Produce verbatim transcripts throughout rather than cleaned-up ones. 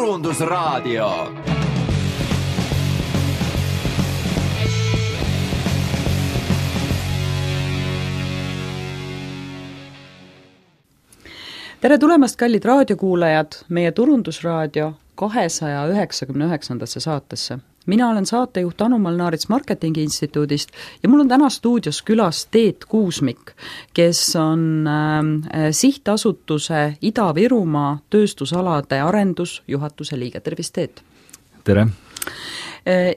Turundusraadio. Tere tulemast, kallid raadiokuulajad, meie Turundusraadio kahesaja üheksakümne üheksandasse saatesse. Mina olen saatejuht Anu-Mall Naarits Marketingi Instituudist ja mul on täna stuudios külas Teet Kuusmik, kes on äh, sihtasutuse Ida-Virumaa tööstusalade arendusjuhatuse liige. Tervist, Teet! Tere!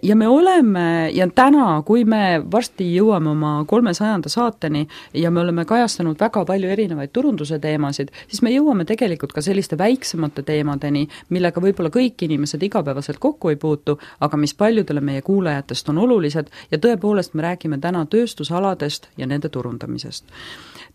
Ja me oleme, ja täna, kui me varsti jõuame oma kolmesajanda saateni ja me oleme kajastanud väga palju erinevaid turunduse teemasid, siis me jõuame tegelikult ka selliste väiksemate teemadeni, millega võib-olla kõik inimesed igapäevaselt kokku ei puutu, aga mis paljudele meie kuulajatest on olulised ja tõepoolest me räägime täna tööstusaladest ja nende turundamisest.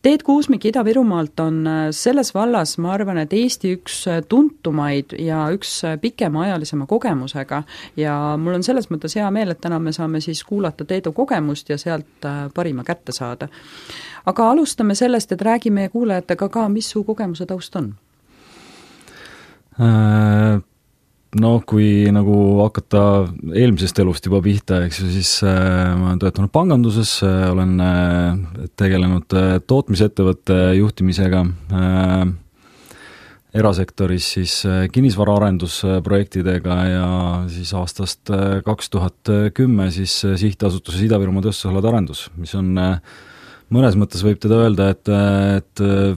Teet Kuusmik Ida-Virumaalt on selles vallas, ma arvan, et Eesti üks tuntumaid ja üks pikemaajalisema kogemusega ja mul on selles mõttes hea meel, et täna me saame siis kuulata Teedu kogemust ja sealt parima kätte saada. Aga alustame sellest, et räägime meie kuulajatega ka, mis su kogemuse taust on? Äh... No kui nagu hakata eelmisest elust juba pihta, eks ju, siis äh, ma olen töötanud panganduses, äh, olen äh, tegelenud äh, tootmisettevõtte juhtimisega, äh, erasektoris siis äh, kinnisvaraarendusprojektidega ja siis aastast äh, kaks tuhat kümme siis äh, sihtasutuses Ida-Virumaa tööstusalade arendus, mis on äh, mõnes mõttes võib teda öelda, et, et äh,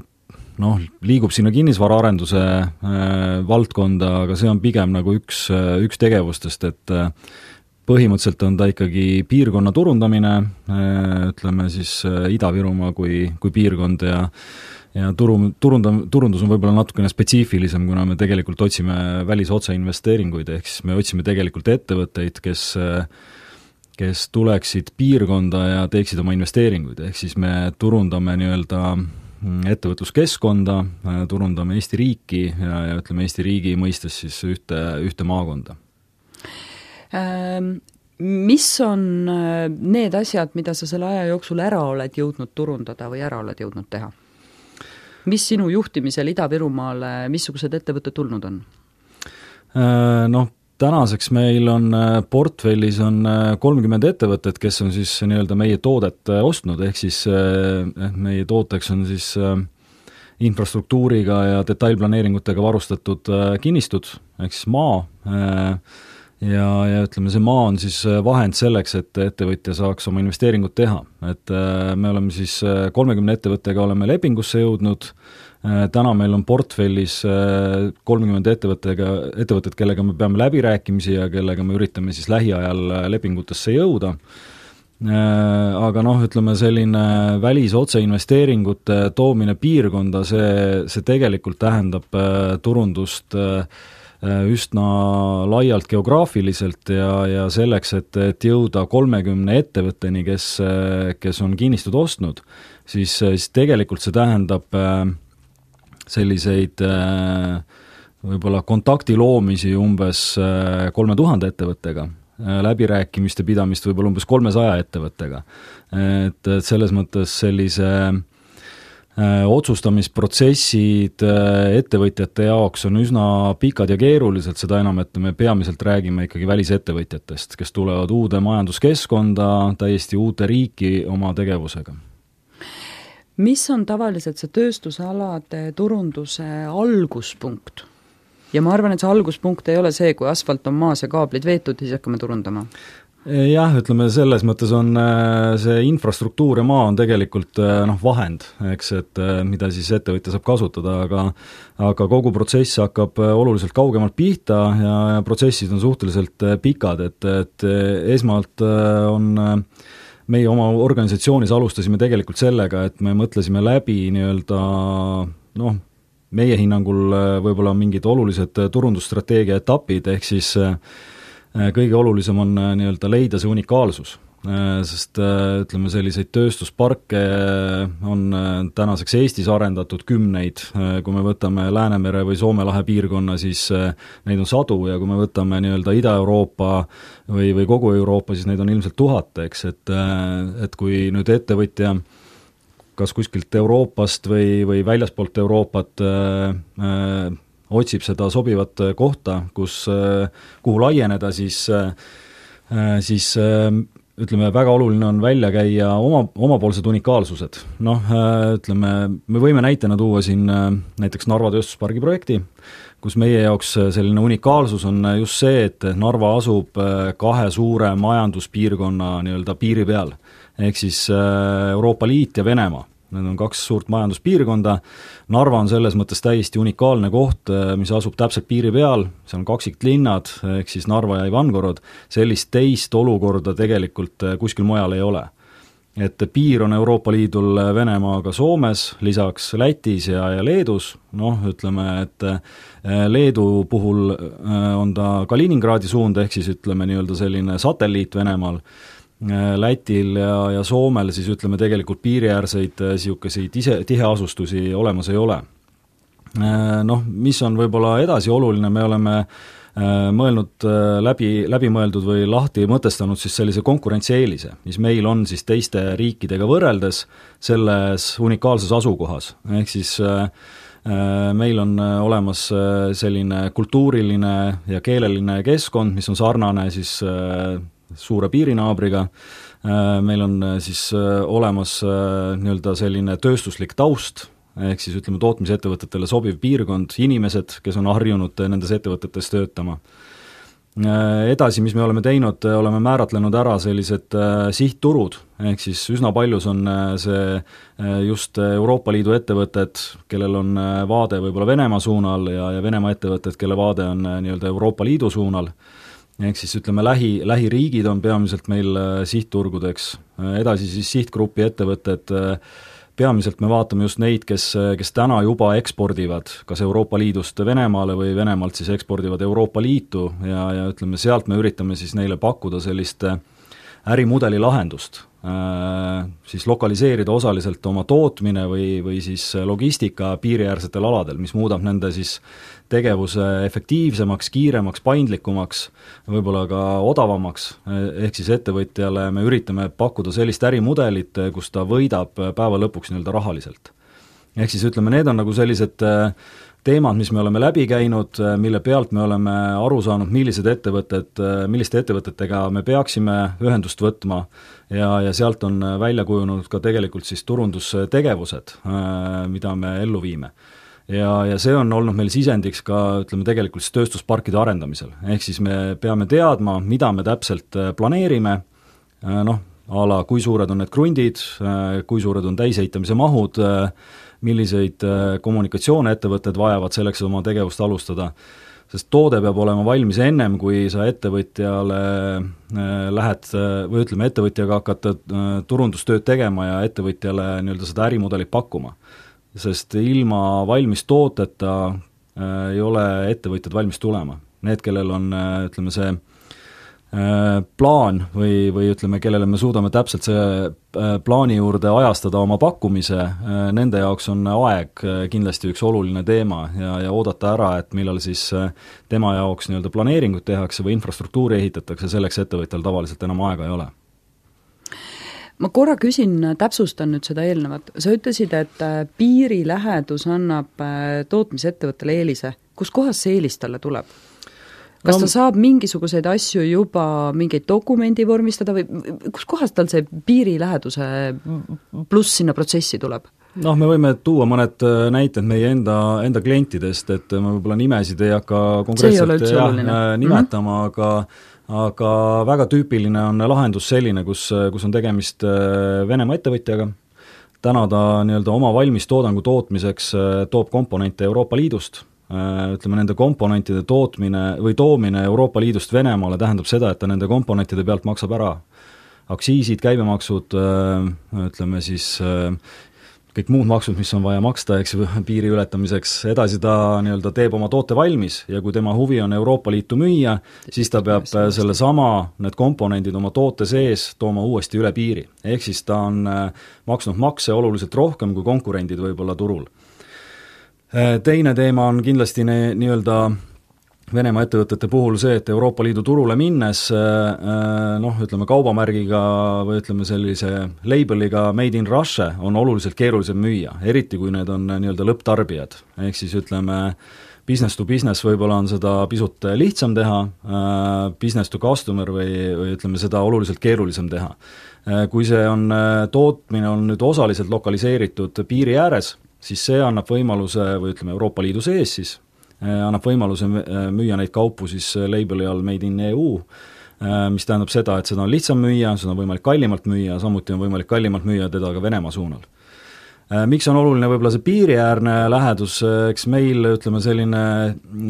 noh, liigub sinna kinnisvaraarenduse äh, valdkonda, aga see on pigem nagu üks, üks tegevustest, et äh, põhimõtteliselt on ta ikkagi piirkonna turundamine, äh, ütleme siis äh, Ida-Virumaa kui, kui piirkond ja ja turu, turunda, turundus on võib-olla natukene spetsiifilisem, kuna me tegelikult otsime välisotseinvesteeringuid, ehk siis me otsime tegelikult ettevõtteid, kes äh, kes tuleksid piirkonda ja teeksid oma investeeringuid, ehk siis me turundame nii-öelda ettevõtluskeskkonda, turundame Eesti riiki ja, ja ütleme Eesti riigi mõistes siis ühte, ühte maakonda. Mis on need asjad, mida sa selle aja jooksul ära oled jõudnud turundada või ära oled jõudnud teha? Mis sinu juhtimisel Ida-Virumaale, missugused ettevõtted tulnud on? Noh, tänaseks meil on portfellis on kolmkümmend ettevõtet, kes on siis nii-öelda meie toodet ostnud, ehk siis meie tooteks on siis infrastruktuuriga ja detailplaneeringutega varustatud kinnistud, ehk siis maa, ja, ja ütleme, see maa on siis vahend selleks, et ettevõtja saaks oma investeeringut teha. Et me oleme siis kolmekümne ettevõttega oleme lepingusse jõudnud, täna meil on portfellis kolmkümmend ettevõttega, ettevõtted, kellega me peame läbirääkimisi ja kellega me üritame siis lähiajal lepingutesse jõuda. Aga noh, ütleme selline välisotseinvesteeringute toomine piirkonda, see, see tegelikult tähendab turundust üsna laialt geograafiliselt ja, ja selleks, et, et jõuda kolmekümne ettevõtteni, kes, kes on kinnistud ostnud, siis, siis tegelikult see tähendab selliseid võib-olla kontakti loomisi umbes kolme tuhande ettevõttega, läbirääkimiste pidamist võib-olla umbes kolmesaja ettevõttega. Et, et selles mõttes sellise otsustamisprotsessid ettevõtjate jaoks on üsna pikad ja keerulised, seda enam, et me peamiselt räägime ikkagi välisettevõtjatest, kes tulevad uude majanduskeskkonda, täiesti uute riiki oma tegevusega. Mis on tavaliselt see tööstusalade turunduse alguspunkt? Ja ma arvan, et see alguspunkt ei ole see, kui asfalt on maas ja kaablid veetud, siis hakkame turundama. Jah, ütleme selles mõttes on see infrastruktuur ja maa on tegelikult noh, vahend, eks, et mida siis ettevõtja saab kasutada, aga, aga kogu protsess hakkab oluliselt kaugemalt pihta ja, ja protsessid on suhteliselt pikad, et, et esmalt on meie oma organisatsioonis alustasime tegelikult sellega, et me mõtlesime läbi nii-öelda noh, meie hinnangul võib-olla mingid olulised turundusstrateegia etapid, ehk siis kõige olulisem on nii-öelda leida see unikaalsus, sest ütleme, selliseid tööstusparke on tänaseks Eestis arendatud kümneid, kui me võtame Läänemere või Soome lahe piirkonna, siis neid on sadu ja kui me võtame nii-öelda Ida-Euroopa või, või kogu Euroopa, siis neid on ilmselt tuhat, eks, et, et kui nüüd ettevõtja kas kuskilt Euroopast või, või väljaspoolt Euroopat äh, otsib seda sobivat kohta, kus, kuhu laieneda, siis, siis ütleme, väga oluline on välja käia oma, omapoolsed unikaalsused. Noh, ütleme, me võime näitena tuua siin näiteks Narva tööstuspargi projekti, kus meie jaoks selline unikaalsus on just see, et Narva asub kahe suure majanduspiirkonna nii-öelda piiri peal, ehk siis Euroopa Liit ja Venemaa. Need on kaks suurt majanduspiirkonda, Narva on selles mõttes täiesti unikaalne koht, mis asub täpselt piiri peal, see on kaksiklinnad, ehk siis Narva ja Ivangorod, sellist teist olukorda tegelikult kuskil mujal ei ole. Et piir on Euroopa Liidul Venemaaga Soomes, lisaks Lätis ja, ja Leedus, noh, ütleme, et Leedu puhul on ta Kaliningradi suund, ehk siis ütleme nii-öelda selline satelliit Venemaal, Lätil ja, ja Soomel siis ütleme tegelikult piiriäärseid siukeseid ise, tiheasustusi olemas ei ole. Noh, mis on võib-olla edasi oluline, me oleme mõelnud läbi, läbi mõeldud või lahti mõtestanud siis sellise konkurentsieelise, mis meil on siis teiste riikidega võrreldes selles unikaalses asukohas, ehk siis meil on olemas selline kultuuriline ja keeleline keskkond, mis on sarnane siis suure piirinaabriga, meil on siis olemas nii-öelda selline tööstuslik taust, ehk siis ütleme tootmisettevõtetele sobiv piirkond, inimesed, kes on harjunud nendes ettevõtetes töötama. Edasi, mis me oleme teinud, oleme määratlenud ära sellised sihtturud, ehk siis üsna paljus on see just Euroopa Liidu ettevõtted, kellel on vaade võib-olla Venemaa suunal ja, ja Venemaa ettevõtted, kelle vaade on nii-öelda Euroopa Liidu suunal. Ehk siis ütleme, lähi, lähiriigid on peamiselt meil sihtturgudeks, edasi siis sihtgrupi ettevõtted, peamiselt me vaatame just neid, kes, kes täna juba ekspordivad kas Euroopa Liidust Venemaale või Venemaalt siis ekspordivad Euroopa Liitu ja, ja ütleme, sealt me üritame siis neile pakkuda sellist ärimudeli lahendust, siis lokaliseerida osaliselt oma tootmine või, või siis logistika piiriäärsetel aladel, mis muudab nende siis tegevuse efektiivsemaks, kiiremaks, paindlikumaks, võib-olla ka odavamaks, ehk siis ettevõtjale me üritame pakkuda sellist ärimudelit, kus ta võidab päeva lõpuks nii-öelda rahaliselt. Ehk siis ütleme, need on nagu sellised teemad, mis me oleme läbi käinud, mille pealt me oleme aru saanud, millised ettevõtted, milliste ettevõtetega me peaksime ühendust võtma ja, ja sealt on välja kujunud ka tegelikult siis turundustegevused, mida me ellu viime. Ja, ja see on olnud meil sisendiks ka, ütleme, tegelikult siis tööstusparkide arendamisel. Ehk siis me peame teadma, mida me täpselt planeerime, noh, a la kui suured on need krundid, kui suured on täisehitamise mahud, milliseid kommunikatsioone ettevõtted vajavad selleks oma tegevust alustada, sest toode peab olema valmis ennem, kui sa ettevõtjale lähed, või ütleme, ettevõtjaga hakata turundustööd tegema ja ettevõtjale nii-öelda seda ärimudelit pakkuma. Sest ilma valmis tooteta äh, ei ole ettevõtjad valmis tulema. Need, kellel on, ütleme, see äh, plaan või, või ütleme, kellele me suudame täpselt see äh, plaani juurde ajastada oma pakkumise, äh, nende jaoks on aeg äh, kindlasti üks oluline teema ja, ja oodata ära, et millal siis äh, tema jaoks nii-öelda planeeringut tehakse või infrastruktuuri ehitatakse, selleks ettevõtjal tavaliselt enam aega ei ole. Ma korra küsin, täpsustan nüüd seda eelnevat. Sa ütlesid, et piirilähedus annab tootmisettevõttele eelise. Kus kohas see eelis talle tuleb? Kas no, ta saab mingisuguseid asju juba mingeid dokumendi vormistada või kus kohas tal see piiriläheduse pluss sinna protsessi tuleb? Noh, me võime tuua mõned näited meie enda, enda klientidest, et ma võib-olla nimesid ei hakka konkreetselt jah, nimetama, mm-hmm. aga aga väga tüüpiline on lahendus selline, kus, kus on tegemist Venemaa ettevõtjaga. Täna ta nii-öelda oma valmis toodangu tootmiseks toob komponente Euroopa Liidust. Ütleme, nende komponentide tootmine või toomine Euroopa Liidust Venemaale tähendab seda, et ta nende komponentide pealt maksab ära aktsiisid, käibemaksud, ütleme siis kõik muud maksud, mis on vaja maksta, eks piiri ületamiseks, edasi ta nii-öelda teeb oma toote valmis ja kui tema huvi on Euroopa Liitu müüa, siis ta peab selle sama, need komponendid oma toote sees tooma uuesti üle piiri. Ehk siis ta on maksnud makse oluliselt rohkem kui konkurendid võib-olla turul. Teine teema on kindlasti ne, nii-öelda Venemaa ettevõtete puhul see, et Euroopa Liidu turule minnes noh, ütleme kaubamärgiga või ütleme sellise labeliga Made in Russia on oluliselt keerulisem müüa, eriti kui need on nii-öelda lõpptarbijad. Ehk siis ütleme business to business võib-olla on seda pisut lihtsam teha, business to customer või, või ütleme, seda oluliselt keerulisem teha. Kui see on, tootmine on nüüd osaliselt lokaliseeritud piiri ääres, siis see annab võimaluse, või ütleme Euroopa Liidu sees siis, annab võimaluse müüa neid kaupu siis labeli all Made in E U, mis tähendab seda, et seda on lihtsam müüa, seda on võimalik kallimalt müüa, samuti on võimalik kallimalt müüa teda ka Venemaa suunal. Miks on oluline võib-olla see piiriäärne lähedus, eks meil ütleme selline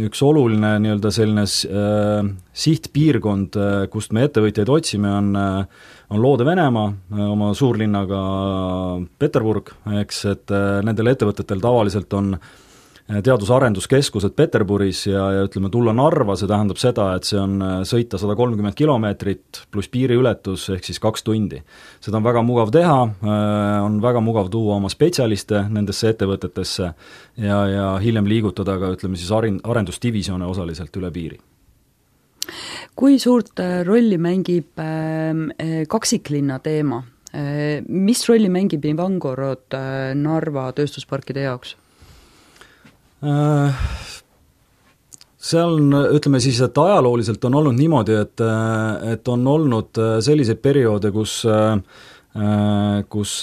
üks oluline nii-öelda selline äh, sihtpiirkond, kust me ettevõtjaid otsime, on, on Loode-Venemaa, oma suurlinnaga Peterburg, eks, et äh, nendel ettevõtetel tavaliselt on teadus-arenduskeskused Peterburis ja, ja ütleme, tulla Narva, see tähendab seda, et see on sõita sada kolmkümmend kilomeetrit pluss piiriületus ehk siis kaks tundi. Seda on väga mugav teha, on väga mugav tuua oma spetsialiste nendesse ettevõtetesse ja, ja hiljem liigutada ka, ütleme siis arendusdivisjone osaliselt üle piiri. Kui suurt rolli mängib kaksiklinna teema? Mis rolli mängib Ivangorod Narva tööstusparkide jaoks? Seal on, ütleme siis, et ajalooliselt on olnud niimoodi, et, et on olnud selliseid perioode, kus, kus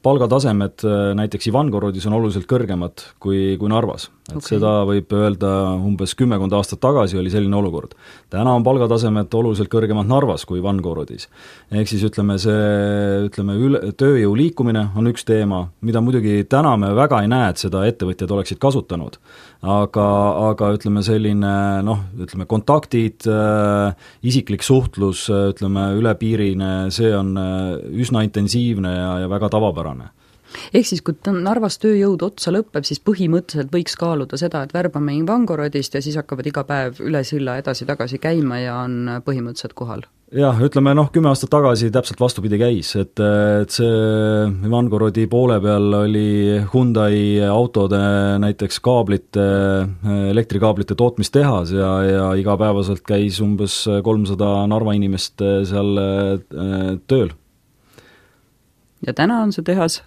palgatasemed näiteks Ivangorodis on oluliselt kõrgemad kui, kui Narvas. Et okay. Seda võib öelda umbes kümmekond aastat tagasi oli selline olukord. Täna on palgatasemed oluliselt kõrgemad Narvas kui Ivangorodis. Ehk siis ütleme, see ütleme, üle, tööjõu liikumine on üks teema, mida muidugi täna me väga ei näe, et seda ettevõtjad oleksid kasutanud. Aga, aga ütleme selline, noh, ütleme kontaktid, äh, isiklik suhtlus, ütleme ülepiirine, see on üsna intensiivne ja, ja väga tavapärane. Ehk siis, kui Narvas tööjõud otsa lõpeb, siis põhimõtteliselt võiks kaaluda seda, et värbame Ivangorodist ja siis hakkavad iga päev üle silla edasi-tagasi käima ja on põhimõtteliselt kohal. Jah, ütleme noh, kümme aastat tagasi täpselt vastupidi käis, et, et see Ivangorodi poole peal oli Hyundai autode näiteks kaablite, elektrikaablite tootmistehas ja, ja igapäevaselt käis umbes kolmsada Narva inimest seal tööl. Ja täna on see tehas?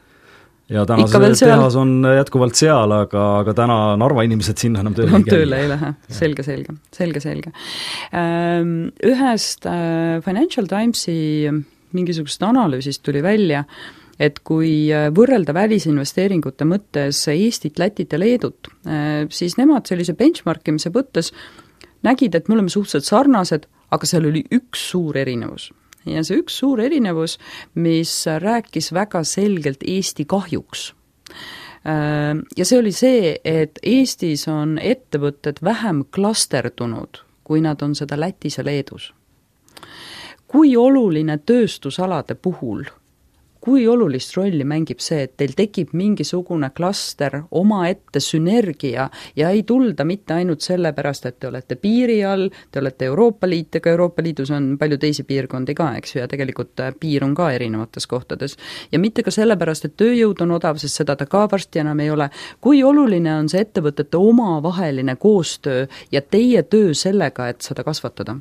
Ja täna see tehas on jätkuvalt seal, aga, aga täna Narva inimesed sinna enam tööle ei käi. Tööle ei lähe, selge, selge, selge, selge. Ühest Financial Timesi mingisugust analüüsist tuli välja, et kui võrrelda välisinvesteeringute mõttes Eestit, Lätit ja Leedut, siis nemad sellise benchmarkimise mõttes nägid, et me oleme suhteliselt sarnased, aga seal oli üks suur erinevus. Ja see üks suur erinevus, mis rääkis väga selgelt Eesti kahjuks. Ja see oli see, et Eestis on ettevõtted vähem klasterdunud, kui nad on seda Lätis ja Leedus. Kui oluline tööstusalade puhul, kui olulist rolli mängib see, et teil tekib mingisugune klaster omaette sünergia ja ei tulda mitte ainult sellepärast, et te olete piiri all, te olete Euroopa Liit, ega Euroopa Liidus on palju teisi piirkondi ka, eks ju, ja tegelikult piir on ka erinevates kohtades. Ja mitte ka sellepärast, et tööjõud on odav, sest seda ta ka varsti enam ei ole. Kui oluline on see ettevõtete omavaheline koostöö ja teie töö sellega, et seda kasvatada?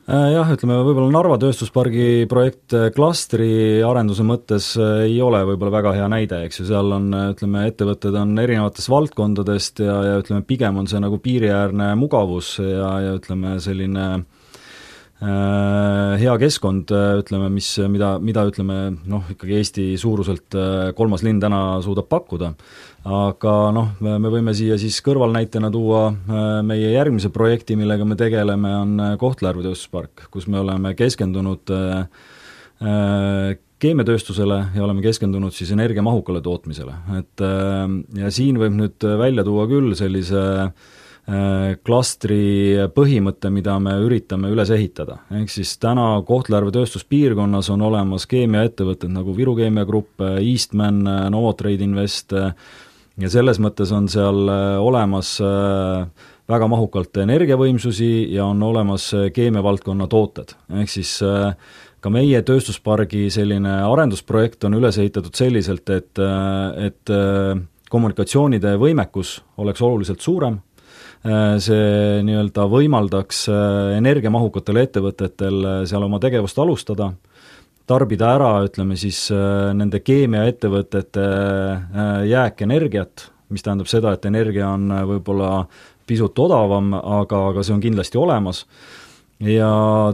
Jah, ütleme, võib-olla Narva tööstuspargi projekt klastri arenduse mõttes ei ole võib-olla väga hea näide, eks ju, seal on, ütleme, ettevõtted on erinevatest valdkondadest ja, ja ütleme, pigem on see nagu piiriäärne mugavus ja, ja ütleme, selline äh, hea keskkond, ütleme, mis, mida, mida ütleme, noh, ikkagi Eesti suuruselt kolmas linn täna suudab pakkuda. Aga noh, me võime siia siis kõrvalnäitena tuua meie järgmise projekti, millega me tegeleme, on Kohtla-Järve tööstuspark, kus me oleme keskendunud keemiatööstusele ja oleme keskendunud siis energiamahukale tootmisele. Et, ja siin võib nüüd välja tuua küll sellise klastri põhimõtte, mida me üritame üles ehitada. Ehk siis täna Kohtla-Järve tööstuspiirkonnas on olemas keemiaettevõtted nagu Viru Keemia Grupp, Eastman, Novotrade Invest, ja selles mõttes on seal olemas väga mahukalt energiavõimsusi ja on olemas keemiavaldkonna tooted. Ehk siis ka meie tööstuspargi selline arendusprojekt on üles ehitatud selliselt, et, et kommunikatsioonide võimekus oleks oluliselt suurem, see nii-öelda võimaldaks energiamahukatel ettevõtetel seal oma tegevust alustada, tarbida ära, ütleme siis, nende keemiaettevõtete jääkenergiat mis tähendab seda, et energia on võib-olla pisut odavam, aga, aga see on kindlasti olemas. Ja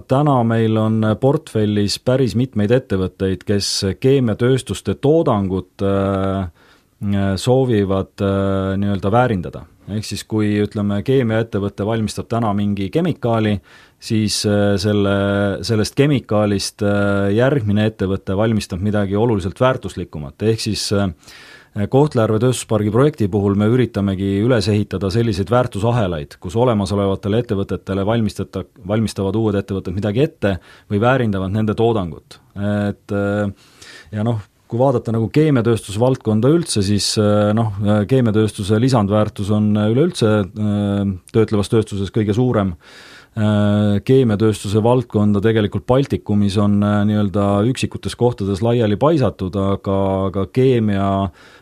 täna meil on portfellis päris mitmeid ettevõtteid, kes keemiatööstuste toodangut soovivad nii-öelda väärindada. Ehk siis kui, ütleme, keemiaettevõte valmistab täna mingi kemikaali, siis selle, sellest kemikaalist järgmine ettevõte valmistab midagi oluliselt väärtuslikumat. Ehk siis Kohtla-Järve tööstuspargi projekti puhul me üritamegi üles ehitada selliseid väärtusahelaid, kus olemasolevatele ettevõtetele valmistata, valmistavad uued ettevõtted midagi ette või väärindavad nende toodangut. Et ja noh, kui vaadata nagu keemiatööstuse valdkonda üldse, siis noh, keemiatööstuse lisandväärtus on üleüldse töötlevas tööstuses kõige suurem. Keemiatööstuse valdkonda tegelikult Baltikumis on nii-öelda üksikutes kohtades laiali paisatud, aga, aga keemia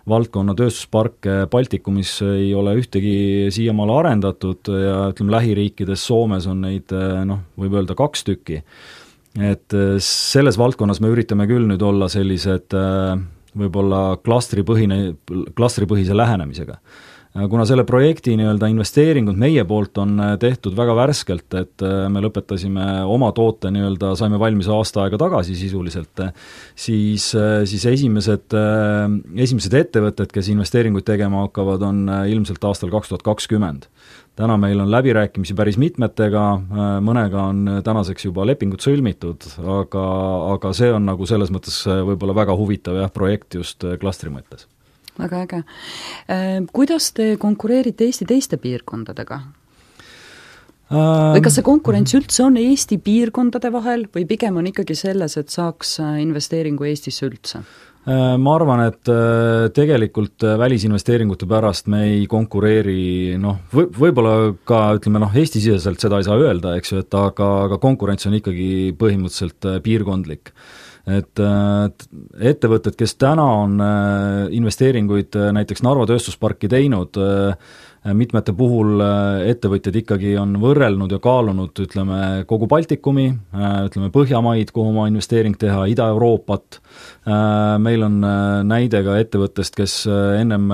valdkonna tööstusparke Baltikumis ei ole ühtegi siiamaale arendatud ja ütleme, lähiriikides Soomes on neid, noh, võib öelda kaks tükki. Et selles valdkonnas me üritame küll nüüd olla sellised võib-olla klastripõhine, klastripõhise lähenemisega. Kuna selle projekti nii-öelda investeeringud meie poolt on tehtud väga värskelt, et me lõpetasime oma toote nii-öelda, saime valmis aasta aega tagasi sisuliselt, siis, siis esimesed, esimesed ettevõtted, kes investeeringuid tegema hakkavad, on ilmselt aastal kaks tuhat kakskümmend. Täna meil on läbirääkimisi päris mitmetega, mõnega on tänaseks juba lepingud sõlmitud, aga, aga see on nagu selles mõttes võib-olla väga huvitav jah, projekt just klastri mõttes. Väga äge. Kuidas te konkureerite Eesti teiste piirkondadega? Või kas see konkurents üldse on Eesti piirkondade vahel või pigem on ikkagi selles, et saaks investeeringu Eestisse üldse? Ma arvan, et tegelikult välisinvesteeringute pärast me ei konkureeri, noh, või, võib-olla ka, ütleme, noh, Eesti-siseselt seda ei saa öelda, eks ju, et aga, aga konkurents on ikkagi põhimõtteliselt piirkondlik. Et ettevõtted, kes täna on investeeringuid näiteks Narva tööstusparki teinud, mitmete puhul ettevõtjad ikkagi on võrrelnud ja kaalunud, ütleme, kogu Baltikumi, ütleme Põhjamaid, kuhu oma investeering teha, Ida-Euroopat. Meil on näide ka ettevõttest, kes ennem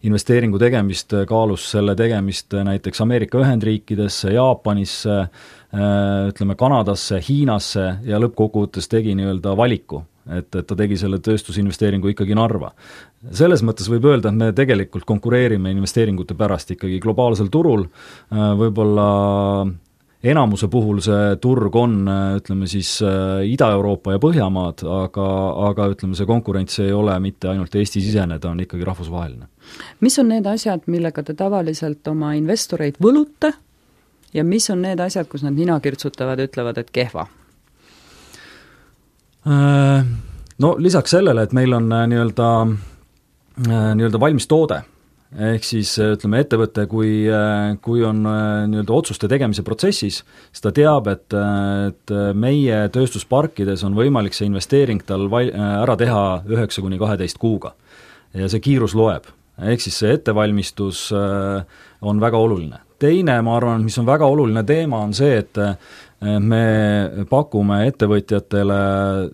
investeeringu tegemist kaalus selle tegemist näiteks Ameerika Ühendriikidesse, Jaapanisse, ütleme Kanadasse, Hiinasse ja lõppkokkuvõttes tegi nii-öelda valiku, et, et ta tegi selle tööstusinvesteeringu ikkagi Narva. Selles mõttes võib öelda, et me tegelikult konkureerime investeeringute pärast ikkagi globaalsel turul, võib-olla enamuse puhul see turg on, ütleme siis Ida-Euroopa ja Põhjamaad, aga, aga ütleme, see konkurents ei ole mitte ainult Eesti-sisene, ta on ikkagi rahvusvaheline. Mis on need asjad, millega te tavaliselt oma investoreid võlute ja mis on need asjad, kus nad nina kirtsutavad ja ütlevad, et kehva? No lisaks sellele, et meil on nii-öelda, nii-öelda valmis toode, ehk siis ütleme ettevõte, kui, kui on nii-öelda otsuste tegemise protsessis, siis ta teab, et, et meie tööstusparkides on võimalik see investeering tal val, ära teha üheksa kuni kaheteist kuuga ja see kiirus loeb. Ehk siis see ettevalmistus on väga oluline. Teine, ma arvan, mis on väga oluline teema, on see, et me pakume ettevõtjatele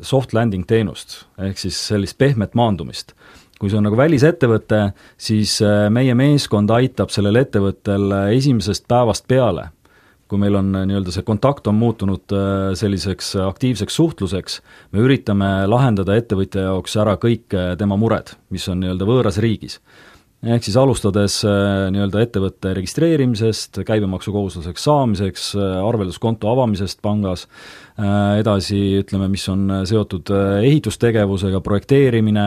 soft landing teenust, ehk siis sellist pehmet maandumist. Kui see on nagu välisettevõte, siis meie meeskond aitab sellel ettevõttel esimesest päevast peale, kui meil on nii-öelda see kontakt on muutunud selliseks aktiivseks suhtluseks, me üritame lahendada ettevõtja jaoks ära kõik tema mured, mis on nii-öelda võõras riigis. Ehk siis alustades nii-öelda ettevõtte registreerimisest, käibemaksukohustuseks saamiseks, arvelduskonto avamisest pangas, edasi ütleme, mis on seotud ehitustegevusega, projekteerimine,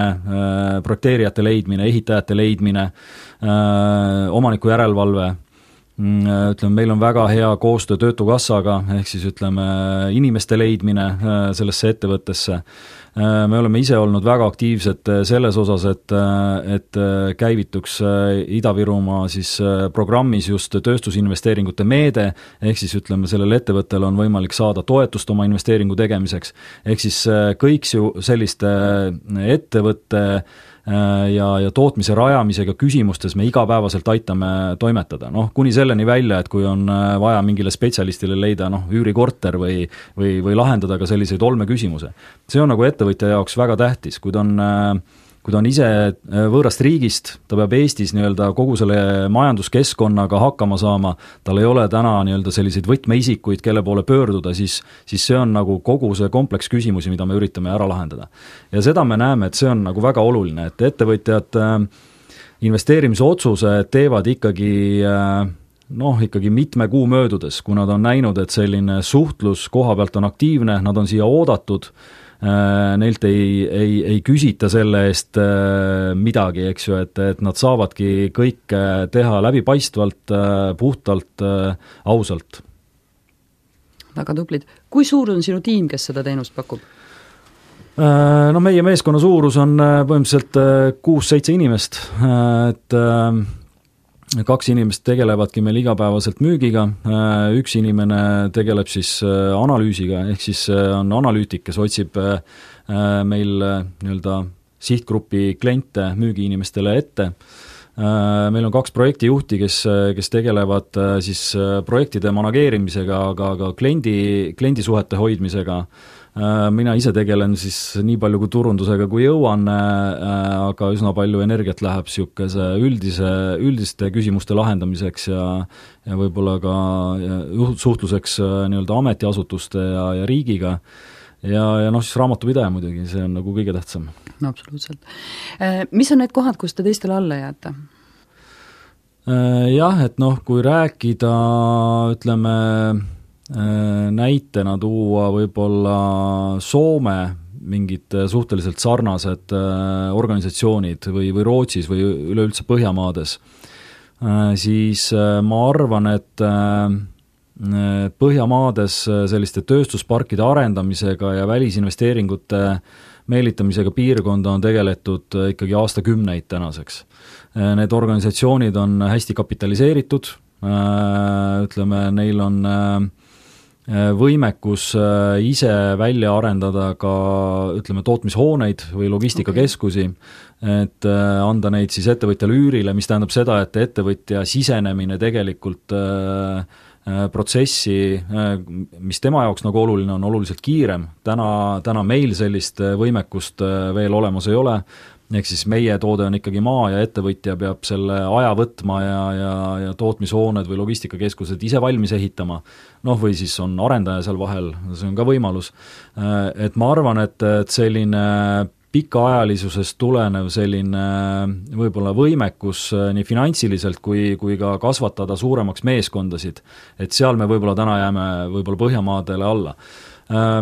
projekteerijate leidmine, ehitajate leidmine, omaniku järelevalve, ütleme, meil on väga hea koostöö Töötukassaga, ehk siis ütleme, inimeste leidmine sellesse ettevõttesse. Me oleme ise olnud väga aktiivsed selles osas, et, et käivituks Ida-Virumaa siis programmis just tööstusinvesteeringute meede, ehk siis ütleme, sellel ettevõttel on võimalik saada toetust oma investeeringu tegemiseks, ehk siis kõik selliste ettevõtte ja, ja tootmise rajamisega küsimustes me igapäevaselt aitame toimetada, noh, kuni selleni välja, et kui on vaja mingile spetsialistile leida, noh, üürikorter või, või, või lahendada ka selliseid olmeküsimuse. See on nagu ettevõtja jaoks väga tähtis, kui ta on, kui ta on ise võõrast riigist, ta peab Eestis nii-öelda kogu selle majanduskeskkonnaga hakkama saama, tal ei ole täna nii-öelda selliseid võtmeisikuid, kelle poole pöörduda, siis, siis see on nagu kogu see kompleks küsimusi, mida me üritame ära lahendada. Ja seda me näeme, et see on nagu väga oluline, et ettevõtjad investeerimise otsuse teevad ikkagi noh, ikkagi mitme kuu möödudes, kui nad on näinud, et selline suhtlus koha pealt on aktiivne, nad on siia oodatud, neilt ei, ei, ei küsita selle eest midagi, eks ju, et, et nad saavadki kõik teha läbipaistvalt, puhtalt, ausalt. Väga tublid. Kui suur on sinu tiim, kes seda teenust pakub? No meie meeskonna suurus on põhimõtteliselt kuus-seitse inimest, et kaks inimest tegelevadki meil igapäevaselt müügiga, üks inimene tegeleb siis analüüsiga, ehk siis on analüütik, kes otsib meil nii-öelda sihtgrupi kliente müügiinimestele ette. Meil on kaks projektijuhti, kes, kes tegelevad siis projektide manageerimisega, aga ka kliendi, kliendisuhete hoidmisega. Mina ise tegelen siis nii palju kui turundusega kui jõuan, aga üsna palju energiat läheb siukese üldise, üldiste küsimuste lahendamiseks ja, ja võib-olla ka suhtluseks nii-öelda ametiasutuste ja, ja riigiga. Ja, ja noh, siis raamatupidaja muidugi, see on nagu kõige tähtsam. No absoluutselt. Mis on need kohad, kus te teistele alla jääte? Jah, et noh, kui rääkida, ütleme, näitena tuua võib-olla Soome mingid suhteliselt sarnased organisatsioonid või, või Rootsis või üleüldse Põhjamaades, siis ma arvan, et Põhjamaades selliste tööstusparkide arendamisega ja välisinvesteeringute meelitamisega piirkonda on tegeletud ikkagi aastakümneid tänaseks. Need organisatsioonid on hästi kapitaliseeritud, ütleme, neil on võimekus ise välja arendada ka, ütleme, tootmishooneid või logistikakeskusi, et anda neid siis ettevõtjale üürile, mis tähendab seda, et ettevõtja sisenemine tegelikult protsessi, mis tema jaoks nagu oluline on, oluliselt kiirem. Täna, täna meil sellist võimekust veel olemas ei ole, ehk siis meie toode on ikkagi maa ja ettevõtja peab selle aja võtma ja, ja, ja tootmishooned või logistikakeskused ise valmis ehitama, noh või siis on arendaja seal vahel, see on ka võimalus. Et ma arvan, et, et selline pikaajalisusest tulenev selline võib-olla võimekus nii finantsiliselt kui, kui ka kasvatada suuremaks meeskondasid, et seal me võib-olla täna jääme võib-olla Põhjamaadele alla.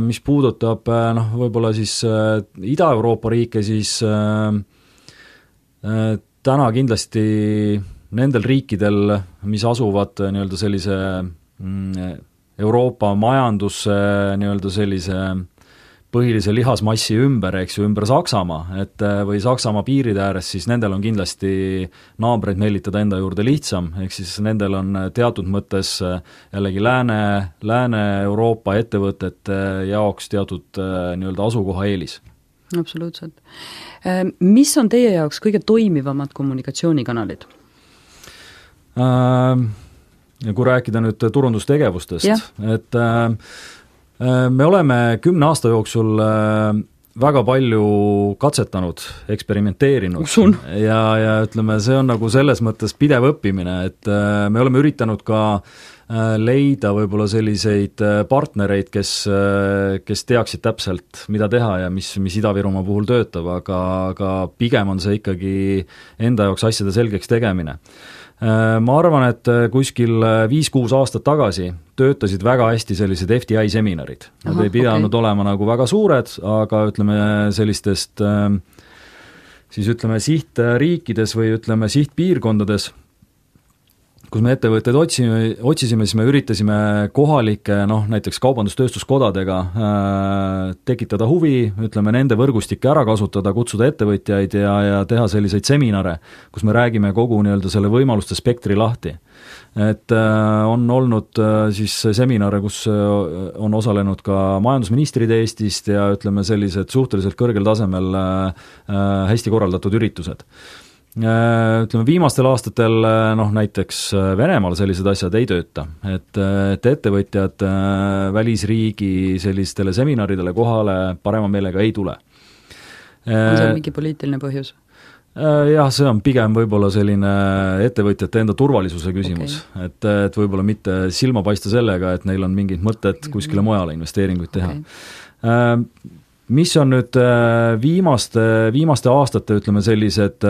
Mis puudutab noh, võib-olla siis Ida-Euroopa riike, siis täna kindlasti nendel riikidel, mis asuvad nii-öelda sellise Euroopa majandusse nii-öelda sellise põhilise lihasmassi ümber, eks ju, ümber Saksamaa, et või Saksamaa piiride ääres, siis nendel on kindlasti naabreid meelitada enda juurde lihtsam, ehk siis nendel on teatud mõttes jällegi Lääne, Lääne-Euroopa ettevõtete jaoks teatud nii-öelda asukoha eelis. Absoluutselt. Mis on teie jaoks kõige toimivamad kommunikatsioonikanalid? Ja kui rääkida nüüd turundustegevustest, ja. et me oleme kümne aasta jooksul väga palju katsetanud, eksperimenteerinud ja, ja ütleme, see on nagu selles mõttes pidev õppimine, et me oleme üritanud ka leida võib-olla selliseid partnereid, kes, kes teaksid täpselt, mida teha ja mis, mis Ida-Virumaa puhul töötab, aga, aga pigem on see ikkagi enda jaoks asjade selgeks tegemine. Ma arvan, et kuskil viis-kuus aastat tagasi töötasid väga hästi sellised F T I seminarid. Nad Aha, ei pidanud okay. olema nagu väga suured, aga ütleme sellistest siis ütleme sihtriikides või ütleme sihtpiirkondades, kus me ettevõtteid otsime, otsisime, siis me üritasime kohalike, noh, näiteks kaubandustööstuskodadega äh, tekitada huvi, ütleme, nende võrgustikke ära kasutada, kutsuda ettevõtjaid ja, ja teha selliseid seminare, kus me räägime kogu nii-öelda selle võimaluste spektri lahti. Et äh, on olnud äh, siis seminare, kus äh, on osalenud ka majandusministrid Eestist ja ütleme, sellised suhteliselt kõrgel tasemel äh, hästi korraldatud üritused. Ütleme, viimastel aastatel noh, näiteks Venemaal sellised asjad ei tööta, et, et ettevõtjad välisriigi sellistele seminaridele kohale parema meelega ei tule. on seal mingi poliitiline põhjus? Jah, see on pigem võib-olla selline ettevõtjate enda turvalisuse küsimus, okay. et, et võib-olla mitte silma paista sellega, et neil on mingid mõtted kuskile mujale investeeringuid teha okay.. Mis on nüüd viimaste, viimaste aastate, ütleme sellised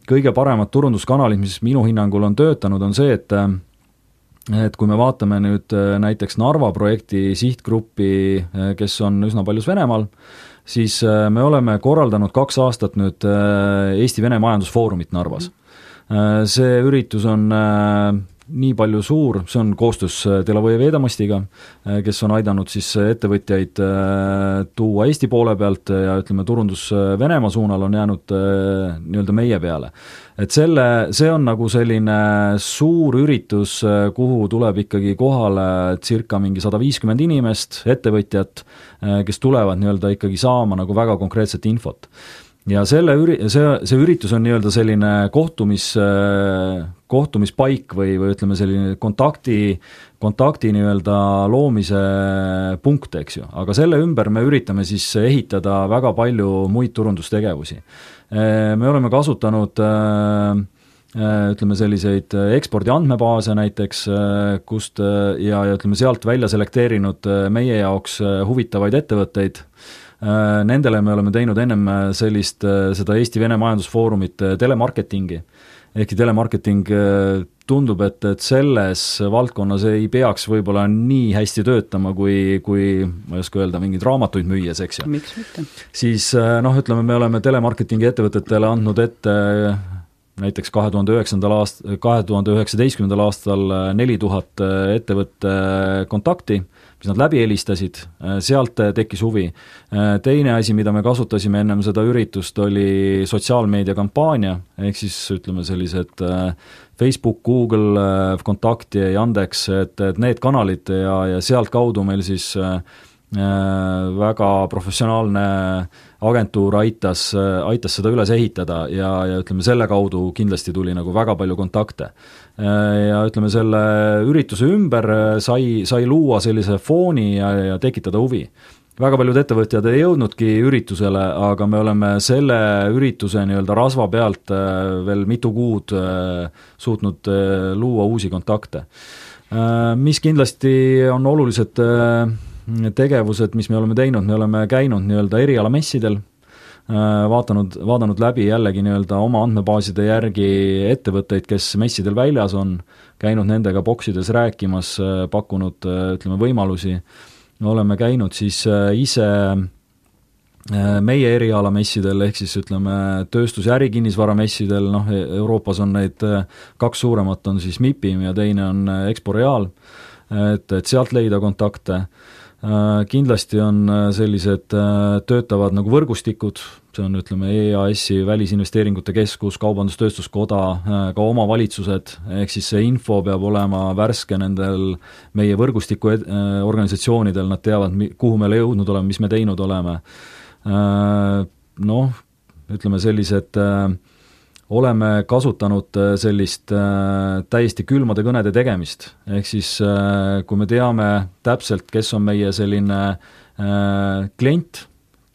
kõige paremad turunduskanalid, mis minu hinnangul on töötanud, on see, et et kui me vaatame nüüd näiteks Narva projekti sihtgruppi, kes on üsna paljus Venemaal, siis me oleme korraldanud kaks aastat nüüd Eesti-Vene majandusfoorumit Narvas. See üritus on nii palju suur, see on koostöös Delovoje Vedamostiga, kes on aidanud siis ettevõtjaid tuua Eesti poole pealt ja ütleme, turundus Venemaa suunal on jäänud nii-öelda meie peale. Et selle, see on nagu selline suur üritus, kuhu tuleb ikkagi kohale circa mingi sada viiskümmend inimest, ettevõtjat, kes tulevad nii-öelda ikkagi saama nagu väga konkreetset infot. Ja selle üri-, see, see üritus on nii-öelda selline kohtumis, kohtumispaik või, või ütleme selline kontakti, kontakti nii-öelda loomise punkt, eks ju. Aga selle ümber me üritame siis ehitada väga palju muid turundustegevusi. Me oleme kasutanud ütleme selliseid ekspordi andmebaase näiteks, kust ja, ja ütleme sealt välja selekteerinud meie jaoks huvitavaid ettevõtteid. Nendele me oleme teinud ennem sellist, seda Eesti-Vene majandusfoorumit telemarketingi. Ehkki telemarketing tundub, et, et selles valdkonnas ei peaks võib-olla nii hästi töötama, kui, kui ma ei oska öelda, mingeid raamatuid müües, eks ju. Miks mitte? Siis noh, ütleme, me oleme telemarketingi ettevõtetele andnud ette näiteks kahe tuhande üheksandal aast-, kahe tuhande üheksateistkümnendal aastal neli tuhat ettevõtte kontakti, mis nad läbi helistasid, sealt tekkis huvi. Teine asi, mida me kasutasime ennem seda üritust, oli sotsiaalmeedia kampaania, ehk siis ütleme sellised Facebook, Google, Kontakti ja Yandex, et, et need kanalid ja, ja sealt kaudu meil siis väga professionaalne agentuur aitas, aitas seda üles ehitada ja, ja ütleme, selle kaudu kindlasti tuli nagu väga palju kontakte. Ja ütleme, selle ürituse ümber sai, sai luua sellise fooni ja, ja tekitada huvi. Väga paljud ettevõtjad ei jõudnudki üritusele, aga me oleme selle ürituse nii-öelda rasva pealt veel mitu kuud suutnud luua uusi kontakte. Mis kindlasti on olulised tegevused, mis me oleme teinud, me oleme käinud nii-öelda erialamessidel, vaatanud, vaadanud läbi jällegi nii-öelda oma andmebaaside järgi ettevõtteid, kes messidel väljas on, käinud nendega boksides rääkimas, pakkunud, ütleme, võimalusi. Oleme käinud siis ise meie erialamessidel, ehk siis ütleme tööstus- ja ärikinnisvaramessidel, noh, Euroopas on neid kaks suuremat, on siis MIPIM ja teine on Expo-Real, et, et sealt leida kontakte. Kindlasti on sellised töötavad nagu võrgustikud, see on ütleme E A S-i välisinvesteeringute keskus, kaubandustööstuskoda, ka omavalitsused, ehk siis see info peab olema värske nendel meie võrgustiku organisatsioonidel, nad teavad, kuhu me jõudnud oleme, mis me teinud oleme. Noh, ütleme sellised oleme kasutanud sellist täiesti külmade kõnede tegemist, ehk siis kui me teame täpselt, kes on meie selline klient,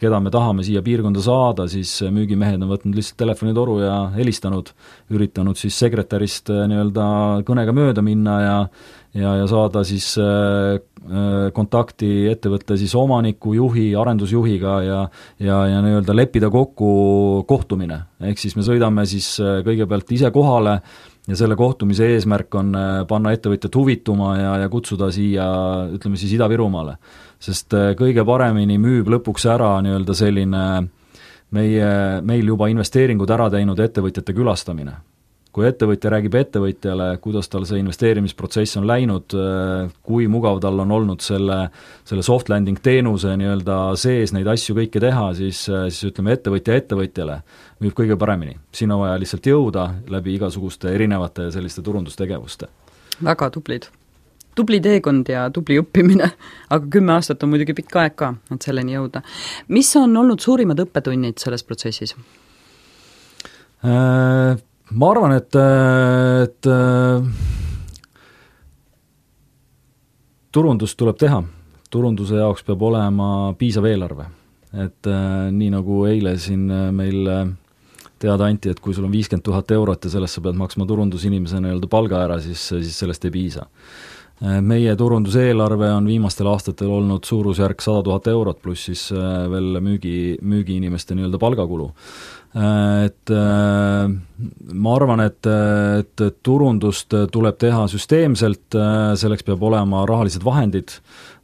keda me tahame siia piirkonda saada, siis müügimehed on võtnud lihtsalt telefonitoru ja helistanud, üritanud siis sekretärist nii-öelda kõnega mööda minna ja ja, ja saada siis kontakti ettevõtte siis omaniku, juhi, arendusjuhiga ja, ja, ja nii-öelda leppida kokku kohtumine. Ehk siis me sõidame siis kõigepealt ise kohale ja selle kohtumise eesmärk on panna ettevõtjat huvituma ja, ja kutsuda siia, ütleme siis Ida-Virumaale. Sest kõige paremini müüb lõpuks ära nii-öelda selline meie, meil juba investeeringud ära teinud ettevõtjate külastamine. Kui ettevõtja räägib ettevõtjale, kuidas tal see investeerimisprotsess on läinud, kui mugav tal on olnud selle, selle soft landing teenuse nii-öelda sees neid asju kõike teha, siis, siis ütleme ettevõtja ettevõtjale müüb kõige paremini. Siin on vaja lihtsalt jõuda läbi igasuguste erinevate selliste turundustegevuste. Väga tublid. Tubli teekond ja tubli õppimine, aga kümme aastat on muidugi pikk aeg ka, et selleni jõuda. Mis on olnud suurimad õppetunnid selles protsessis? Äh... Ma arvan, et, et turundust tuleb teha. Turunduse jaoks peab olema piisav eelarve. et nii nagu eile siin meil teada anti, et kui sul on viiskümmend tuhat eurot ja sellest sa pead maksma turundusinimesena nii-öelda palga ära, siis, siis sellest ei piisa. Meie turunduseelarve on viimastel aastatel olnud suurusjärk sada tuhat eurot, pluss siis veel müügi, müügiinimeste nii-öelda palgakulu. Et ma arvan, et, et turundust tuleb teha süsteemselt, selleks peab olema rahalised vahendid.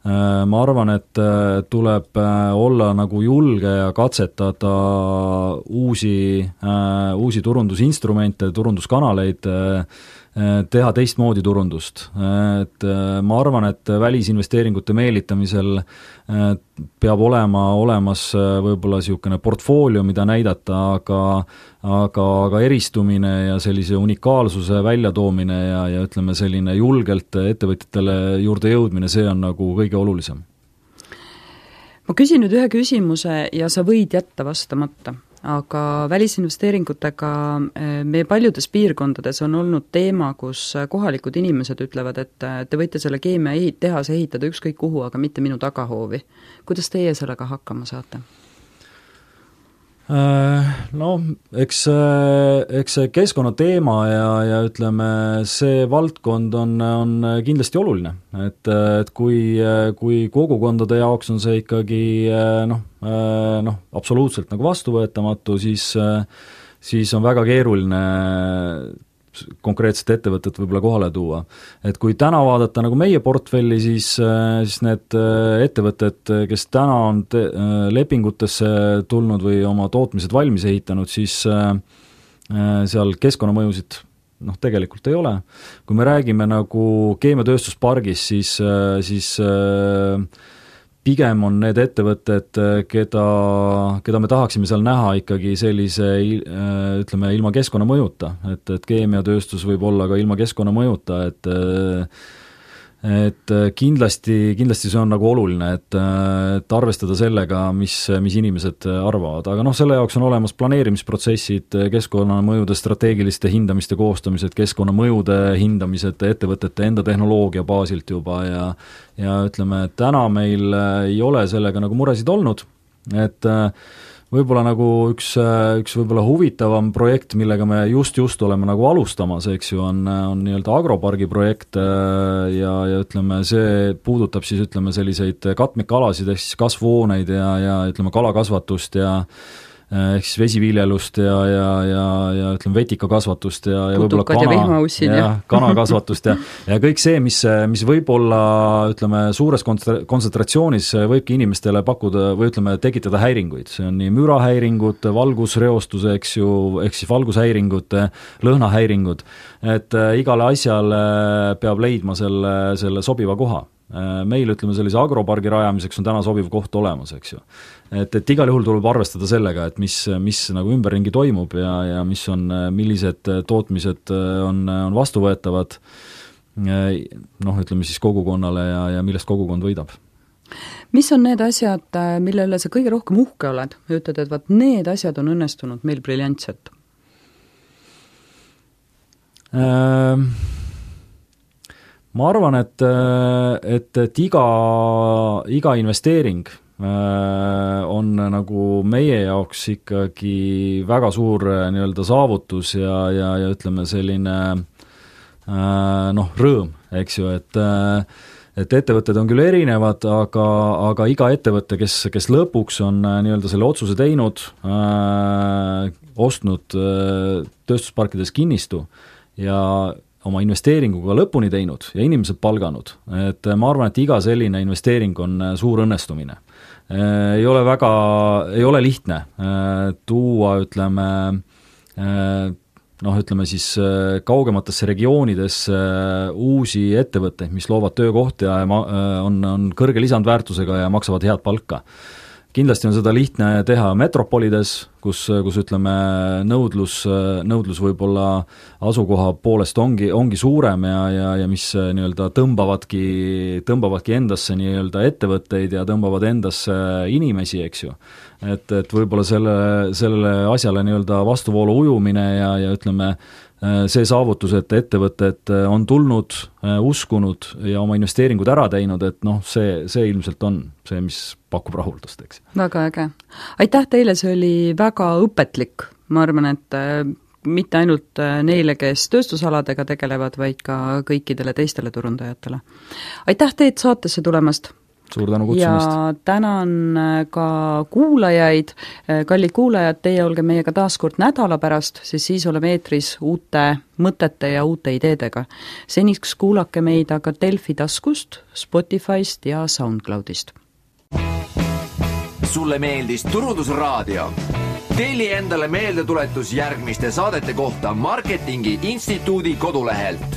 Ma arvan, et tuleb olla nagu julge ja katsetada uusi, uusi turundusinstrumente, turunduskanaleid, teha teistmoodi turundust. Et ma arvan, et välisinvesteeringute meelitamisel peab olema olemas võib-olla niisugune portfoolio, mida näidata, aga aga, aga eristumine ja sellise unikaalsuse väljatoomine ja, ja ütleme selline julgelt ettevõtjatele juurde jõudmine, see on nagu kõige olulisem. Ma küsin nüüd ühe küsimuse ja sa võid jätta vastamata, aga välisinvesteeringutega meie paljudes piirkondades on olnud teema, kus kohalikud inimesed ütlevad, et te võite selle keemia ehit, tehase ehitada ükskõik kuhu, aga mitte minu tagahoovi. Kuidas teie sellega hakkama saate? No, eks, eks see keskkonnateema ja, ja ütleme, see valdkond on, on kindlasti oluline, et, et kui, kui kogukondade jaoks on see ikkagi noh, noh, absoluutselt nagu vastuvõetamatu, siis, siis on väga keeruline konkreetset ettevõtet võib-olla kohale tuua. Et kui täna vaadata nagu meie portfelli, siis, siis need ettevõtted, kes täna on te, lepingutesse tulnud või oma tootmised valmis ehitanud, siis seal keskkonnamõjusid noh, tegelikult ei ole. Kui me räägime nagu keemiatööstuspargis, siis, siis pigem on need ettevõtted, keda, keda me tahaksime seal näha ikkagi sellise, ütleme, ilma keskkonnamõjuta, et, et keemiatööstus võib olla ka ilma keskkonnamõjuta, et et kindlasti, kindlasti see on nagu oluline, et, et arvestada sellega, mis, mis inimesed arvavad, aga noh, selle jaoks on olemas planeerimisprotsessid, keskkonnamõjude strateegiliste hindamiste koostamised, keskkonnamõjude hindamised ettevõtete enda tehnoloogia baasilt juba ja ja ütleme, et täna meil ei ole sellega nagu muresid olnud, et võib-olla nagu üks, üks võib-olla huvitavam projekt, millega me just just oleme nagu alustamas, eks ju, on, on nii-öelda agropargi projekt ja, ja ütleme, see puudutab siis ütleme selliseid katmikalasid, ehk siis kasvuhooneid ja, ja ütleme kalakasvatust ja ehk siis vesiviljelust ja, ja, ja, ja ütleme vetikakasvatust ja, ja võib-olla kana, ja, ja kanakasvatust ja, ja kõik see, mis, mis võib-olla ütleme suures kontsentratsioonis võibki inimestele pakkuda või ütleme tekitada häiringuid, see on nii mürahäiringud, valgusreostuse, eks ju, ehk siis valgushäiringud, lõhnahäiringud, et igale asjale peab leidma selle, selle sobiva koha. Meil ütleme sellise agropargi rajamiseks on täna sobiv koht olemas, eks ju. Et, et igal juhul tuleb arvestada sellega, et mis, mis nagu ümberringi toimub ja, ja mis on, millised tootmised on, on vastuvõetavad noh, ütleme siis kogukonnale ja, ja millest kogukond võidab. Mis on need asjad, millele sa kõige rohkem uhke oled? Ütled, et vaat need asjad on õnnestunud meil briljantselt. Ähm ma arvan, et, et, et iga, iga investeering on nagu meie jaoks ikkagi väga suur nii-öelda saavutus ja, ja, ja ütleme selline noh, rõõm, eks ju, et et ettevõtted on küll erinevad, aga, aga iga ettevõte, kes, kes lõpuks on nii-öelda selle otsuse teinud, äh, ostnud äh, tööstusparkides kinnistu ja oma investeeringuga lõpuni teinud ja inimesed palganud, et ma arvan, et iga selline investeering on suur õnnestumine. Ei ole väga, ei ole lihtne tuua, ütleme, noh, ütleme siis kaugematesse regioonidesse uusi ettevõtteid, mis loovad töökohti ja on, on kõrge lisandväärtusega ja maksavad head palka. Kindlasti on seda lihtne teha metropolides, kus, kus ütleme nõudlus, nõudlus võib-olla asukoha poolest ongi, ongi suurem ja, ja, ja mis nii-öelda tõmbavadki, tõmbavadki endasse nii-öelda ettevõtteid ja tõmbavad endasse inimesi, eks ju. Et, et võib-olla selle, selle asjale nii-öelda vastuvoolu ujumine ja, ja ütleme, see saavutus, et ettevõtted on tulnud, uskunud ja oma investeeringud ära teinud, et noh, see, see ilmselt on see, mis pakub rahuldust, eks. Väga äge. Aitäh teile, see oli väga õpetlik, ma arvan, et mitte ainult neile, kes tööstusaladega tegelevad, vaid ka kõikidele teistele turundajatele. Aitäh teid saatesse tulemast! Suur tänu kutsumast! Ja tänan ka kuulajaid, kallid kuulajad, teie olge meiega taas kord nädala pärast, siis siis oleme eetris uute mõtete ja uute ideedega. Seniks kuulake meid aga Delfi taskust, Spotify'st ja SoundCloudist. Sulle meeldis Turundusraadio? Telli endale meeldetuletus järgmiste saadete kohta Marketingi Instituudi kodulehelt.